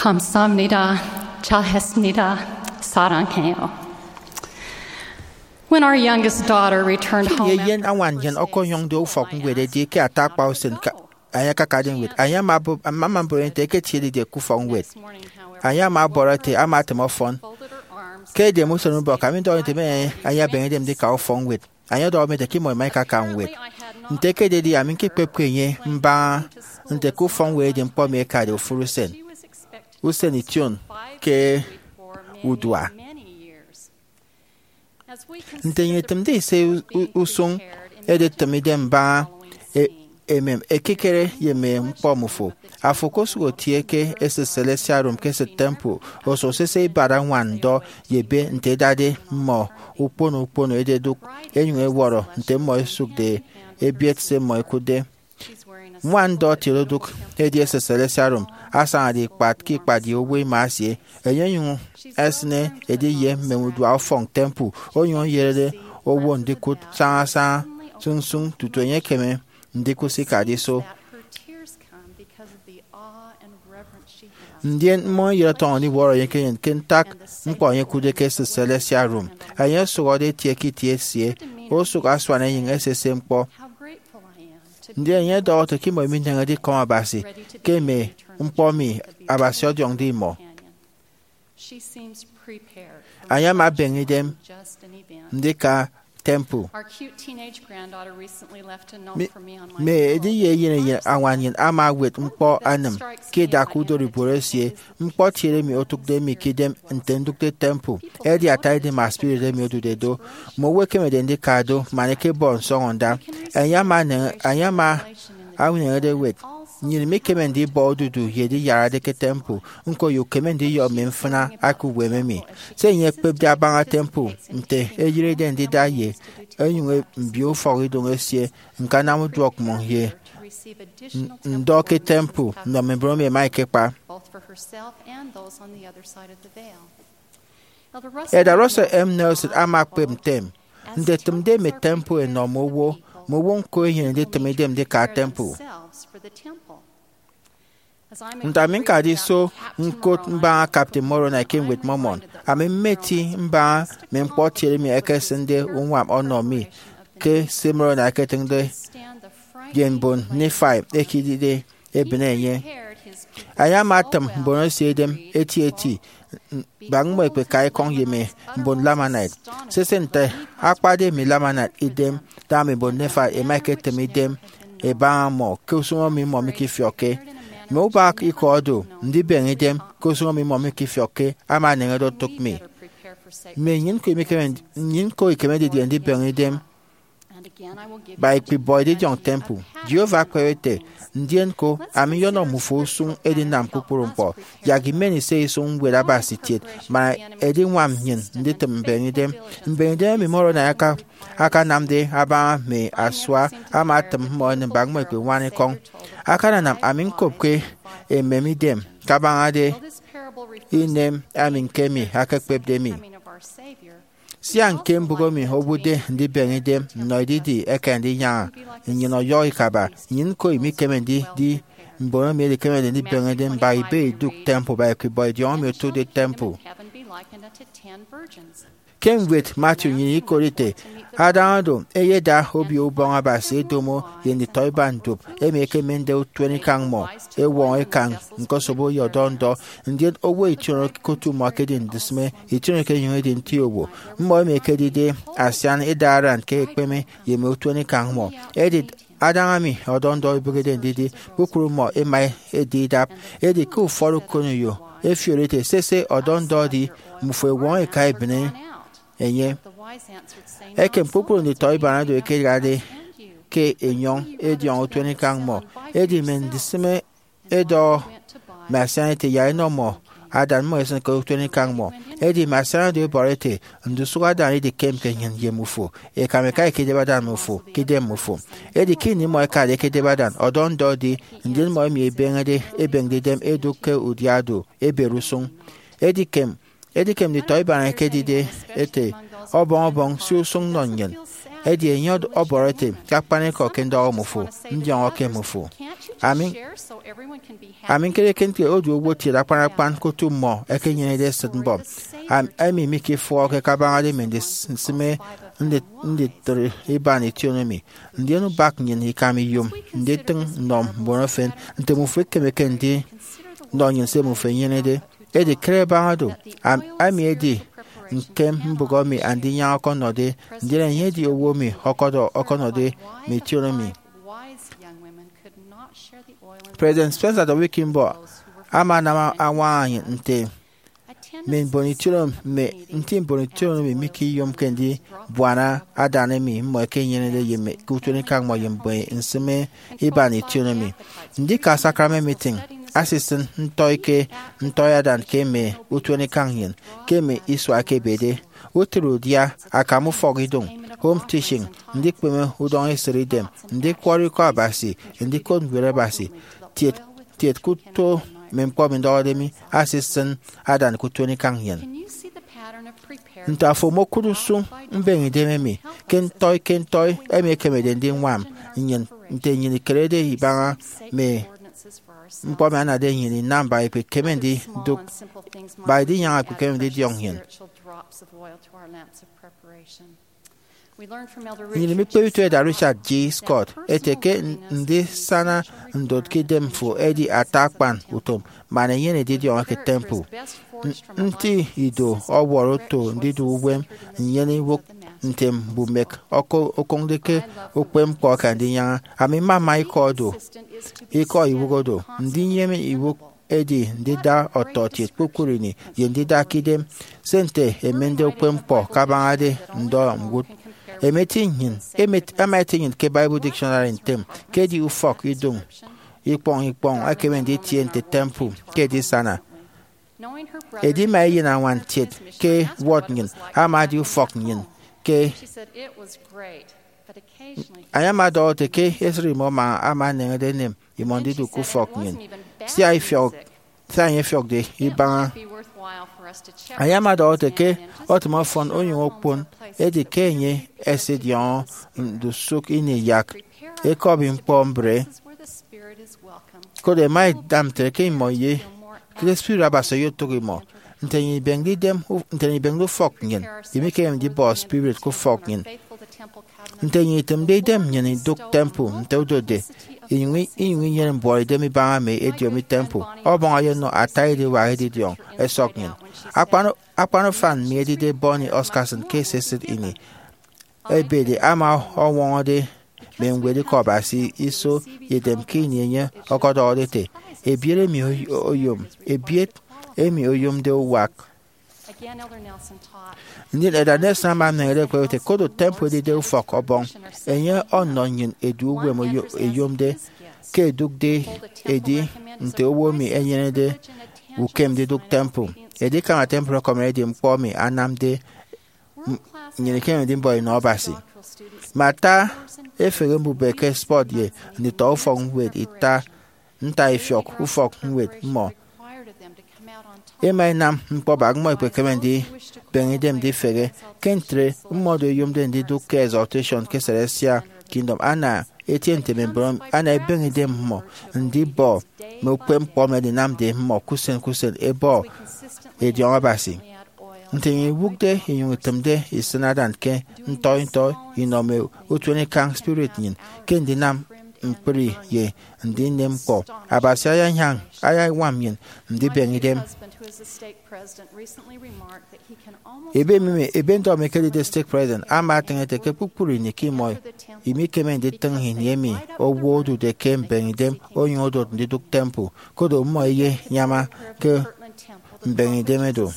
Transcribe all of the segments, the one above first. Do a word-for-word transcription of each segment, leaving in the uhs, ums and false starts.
Kamsahamnida, chahesmnida, sarangheo. When our youngest daughter returned home, eyen añwan nnyịn ọkọnyọñde ufọk ñwed edi ke ata akpa usen ka anyị akakade ñwed. Anyị ama mbọrọ nte eketiede ke ufọk ñwed. Anyị ama ọbọrọ ete ama atịm ọfọn. Ke edem usen ubọk, ami ndọhọ nte mme enye abeñe idem ndika ufọk ñwed. Enye ọdọhọ mi ete ke imọ ima ikaka ñwed. Nte ekededi, ami ñkekpepke enye mbaña nte ke ufọk ñwed edi ñkpọ emi ekade ofụri usen, usen ition ke udua. Nte enye etịmde ise u- usụñ editịm idem mbaña e- emem ekikere ye mme ñkpọ mmufo, afo okosụk otie ke esịt celestial room ke esịt temple, oso sese ibat añwan ndọ ye ebe nte ẹdade mmọ ukpono ukpono ẹdedụk, ẹnyụñ ẹwọrọ nte mmọ ẹsụkde ẹbiet se mmọ ẹkụtde. Ñwan ndọ etie odụk edi esịt celestial room asañade ikpat ke ikpat ye owo ima esie. Enye onyụñ esịne edi ye mme udua ufọk temple, onyụñ eyerede owo ndikụt sañasaña sụñsụñ tutu enye ekeme ndikụt se ikade iso. Ndien mmọ ẹyet ọtọñọ ndiwọrọ enye ke enyịn ke ntak ñkpọ enye ẹkụtde ke esịt celestial room. Enye osụhọde etie ke itie esie, osụk asuan enyịñ esese ñkpọ. Ndien enye ọdọhọ ete ke imọ imineñede ikọm Abasi ke mme ñkpọ emi Abasi ọdiọñde imọ. Enye ama abeñe idem ndika temple. Mme ediye eyen eyen añwan nnyịn ama ewet ñkpọ anịm ke idak udọribuot esie. Ñkpọ kiet emi otụkde mi ke idem nte ndụkde temple edi ata idem spirit emi odude do. Mme owo ẹkemede ndika do man ẹkebọ nsọñọnda. Enye ama eneñe- enye ama eneñede ewet, nnyịn mikeme ndibọ odudu ye ediyarade ke temple, ñko ye ukeme ndiyọ mme mfịna aka uwem emi. Se enye ekpepde abaña temple, nte eyịrede ndida ye enyụñ mbio ufọkidụñ esie, ñkanam uduọk mmọñ ye ndọ ke temple nnọ mme mbon emi ẹma ẹkekpa. Elder Russell M. Nelson ama ekpep ntem, nditịmde mme temple ẹnọ mme owo, mme owo ñko ẹnyene nditịm idem ndika temple. Nte ami ñkade iso ñkot mbaña Captain Moroni ke Ñwed Mormon, ami mmeti mbaña mme ñkpọ kiet emi ẹkesịnde uñwam ọnọ mi ke se Moroni eketịñde ye mbon Nephi eke idide ebịne enye. Enye ama atịm mbon esie idem eti eti, bak mmọ ẹkpeka ekọñ ye mme mbon Lamanite. Sese nte akpade mme Lamanite idem, da mme mbon Nephi ẹma ẹketịm idem ẹbaña mmọ ke usụñ emi mmọ mikifiọkke. Mme ubak ikọ do, ndibeñe idem ke usụñ emi mmọ mikifiọkke ama eneñede otụk mi. Mme nnyịn ñko imikeme, nnyịn ñko ikeme didie ndibeñe idem ba ikpibọ edidiọñ temple? Jehovah ekpep ete, ndien ko, ami nyọnọ mmufo usụñ edinam kpukpru ñkpọ. Yak imeni se isụñ ñwed Abasi kiet, man ediñwam nnyịn nditịm mbeñe idem. Mbeñe idem emi Moroni aka- akanamde abaña mme asua ama atịm mmọ ẹnịm bak mmọ ẹkpeñwan ekọñ. Akananam ami ñkopke emem idem kabañade inem ami ñke emi akekpepde mi. Sia ñke mbụk emi owụtde ndibeñe idem nnọ edidi eke ndinyaña, nnyịn ọyọhọ ikaba. Nnyịn ñko imikeme ndidi mbon emi ẹdikemede ndibeñe idem mba ibe idụk temple ba ikpibọ edidiọñ emi otụkde temple. Ke ñwed Matthew nnyịn ikot ete, adaña do, ẹyeda Obio Ubọñ Abasi ẹdomo ye nditọiban duop emi ẹkemende utuenikañ mmọ ẹwọñọ ikañ ñkosobo ye ọdọ ndọ, ndien owo ition okokụt mmọ ẹkedi ndisịme, ition ekenyụñ edi nti owo. Mmọ emi ẹkedide asian ẹda aran ke ekpeme ye mme utuenikañ mmọ. Edi adaña mi ọdọ ndọ ibịghede ndidi, kpukpru mmọ ẹma ẹdi idap. Edi ke ufọt ukoneyo ẹfiori ete, sese, ọdọ ndọ edi, mmufo ẹwọñọ ika ẹbịne enye. Ekem kpukpru nditọiban oro ẹkedade ke enyọñ ediọñ utuenikañ mmọ. Edi mme ndisịme ẹdọhọ mme asian ete, yak ẹnọ mmọ adan mmọ ẹsịn ke utuenikañ mmọ. Edi mme asian oro ẹbọrọ ete, ndusụk adan edikem ke nnyịn ye mmufo, eka mme eka ẹkedep adan mmufo ke idem mmufo. Edi ke ini mmọ ẹkade ẹkedep adan, ọdọ ndọ edi, ndien mmọ emi ẹbeñede ẹbeñde idem ẹdụk ke udia do, ẹberi usụñ. Edikem, edikem nditọiban ẹkedide ete, ọbọñ ọbọñ, si usụñ nọ nnyịn. Edi enye ọd- ọbọrọ ete, ke akpanikọ ke ndọhọ mmufo, ndiọñọke mmufo. Ami, ami ñkere ke ntre odu owo kiet akpan akpan ke otu mmọ ẹkenyenede esịt mbọm, am- emi mikifọhọke kabañade mme ndisịme ndi- nditịri iban ition emi. Ndien ubak nnyịn ikam iyom nditịñ nnọ mbon efen nte mmufo ikemeke ndinọ nnyịn se mmufo inyenede. Edi kere baña do, am- ami edi ñkem mbụk emi Andinyaña ọkọnọde, ndien enye edi owo emi ọkọdọ- ọkọnọde mme ition emi. President Spencer W. Kimball ama anam añwaña nnyịn nte mme mbon ition emi, mme nti mbon ition emi mikiyomke ndibuana adan emi mmọ ẹkenyenede ye mme ke utuenikañ mmọ ye mme nsịme iban ition emi. Ndika sacrament meeting asisịn ntọi ke ntọi adan ke mme utuenikañ nnyịn ke mme isua ẹkebede. Utịt udia, akam ufọkidụñ, home teaching, ndikpeme udọñ esịt idem, ndikwọrọ Ikọ Abasi, ndikot Ñwed Abasi, tiet tiet ke uto mme ñkpọ emi ndọhọde mi asisịn adan ke utuenikañ nnyịn. Nte afo omokụt usụñ mbeñe idem emi ke ntọi ke ntọi emi ekemede ndiñwam nnyịn nte nnyịn ikerede ibaña mme ñkpọ emi anade nnyịn inam baña ikpekeme ndidụk, baña idinyaña ikpekeme ndidiọñ nnyịn? Nnyịn imikpe utu Elder Richard G. Scott ete ke ndisana ndot ke idemfo edi ata akpan utom man enyene edidiọñọ ke temple. Nti ido ọwọrọ oto ndidu uwem nnyene iwụk nte mbumek okụñde ke ukpepñkpọ ke Andinyaña. Ami mmama ikọ do, ikọ iwụk do. Ndiyem iwụk edi ndida ọtọkiet kpukpru ini ye ndida ke idem se nte ẹmende ukpepñkpọ kabañade ndọ ñwụt. Ẹma ẹti nnyịn, ẹma ẹti nnyịn ke Bible Dictionary ntem ke edi ufọk idụñ ikpọñ ikpọñ ekeme nditie nte temple ke edisana. Edima eyenañwan kiet ke ward nnyịn ama edi ufọk nnyịn ke Enye ama ọdọhọ ete ke esịt imọ ama ama eneñede enem imọ ndidụk ke ufọk nnyịn, sia ifiọk, sia enye ifiọkde ibaña. Enye ama ọdọhọ ete ke otịm ọfọn onyụñ okpon, edi ke enye esidiọñọ ndusụk ini yak ekọbi ñkpọ mbre. Koro ẹma ẹda ntre ke imọ ye ke spirit Abasi oyotụk imọ. Nte nnyịn ibemde idem, nte nnyịn ibemde ufọk nnyịn, imikemem ndibọ spirit ke ufọk nnyịn. Nte nnyịn itịmde idem nnyịn idụk temple nte odotde, inyụñ inyụñ inyene mbuọtidem ibaña mme ediomi temple, Ọbọñ ọyọnọ ata ediwak edidiọñ ẹsọk nnyịn. Akpan, akpan ufan mi edide Bonnie Oscarson ke esisịt ini ebede ama ọñwọñọde mme ñwed Ikọ Abasi iso ye edem ke ini enye ọkọdọhọde ete, ebiet emi oy- oyom, ebiet emi oyomde uwak. Ndien Elder Nelson ama eneñede ekpe ete, kodo temple edide ufọk Ọbọñ, enye ọnọ nnyịn edu uwem oyo- eyomde ke edụkde edi nte owo emi enyenede ukem ndidụk temple. Edikama temple ekọmọñ edi ñkpọ emi anamde m- nnyịn ikemede ndimbọ inọ Abasi. Mme ata efehe mbubịt ke sport ye nditọ ufọk ñwed ita ntaifiọk ufọk ñwed mmọ. Ema enam ñkpọ bak mmọ ikpekeme ndibeñe idem ndifehe. Ke ntre, mmọdo eyomde ndidụk ke exaltation ke celestial kingdom. Ana etie nte mme mbon ana ebeñe idem mmọ ndibọ mme ukpepñkpọ emi edinamde mmọ ke usen ke usen ebọ ediọñ Abasi. Nte nnyịn iwụkde inyụñ itịmde isịn adan ke ntọi ntọi inọ mme utuenikañ spirit nnyịn ke ndinam ñkpri ye ndinem ñkpọ, Abasi ayañwam, ayañwam nnyịn ndibeñe idem. Ebe mi, ebe ndọ mi ekedide stake president ama atịñ ete ke kpukpru ini ke imọ imikeme nditịñ ini emi owo odude ke mbeñe idem onyụñ odot ndidụk temple, koro mmọ eyenyama ke mbeñe idem do.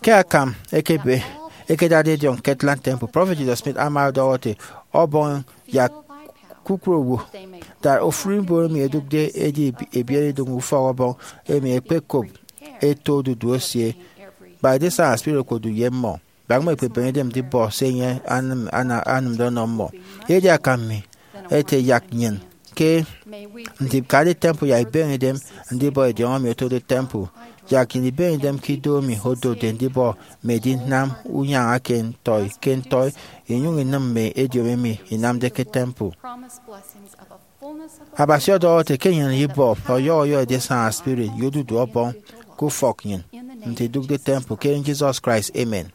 Ke akam ekebe ekedade ediọñ Kirtland Temple, Prophet Joseph Smith ama ọdọhọ ete, Ọbọñ yak kpukpru owo, that ofụri mbon emi ẹdụkde edi ebiet idụñ ufọk Ọbọñ emi ẹkpekop eto odudu esie, kpa edisana spirit okpodu ye mmọ. Bak mmọ ikpebeñe idem ndibọ se enye anam, ana- anamde ọnọ mmọ. Edi akam mi ete yak nnyịn ke ndikade temple yak ibeñe idem ndibọ ediọñ emi otode temple, yak nnyịn ibeñe idem ke ido emi odotde ndibọ mme edinam unyaña ke ntọi ke ntọi, inyụñ inịm mme ediomi emi inamde ke temple. Abasi ọdọhọ ete ke enyene ibọ ọyọhọ ọyọhọ edisaña spirit ye odudu Ọbọñ ke ufọk nnyịn nte idụkde temple ke enyịn Jesus Christ, amen.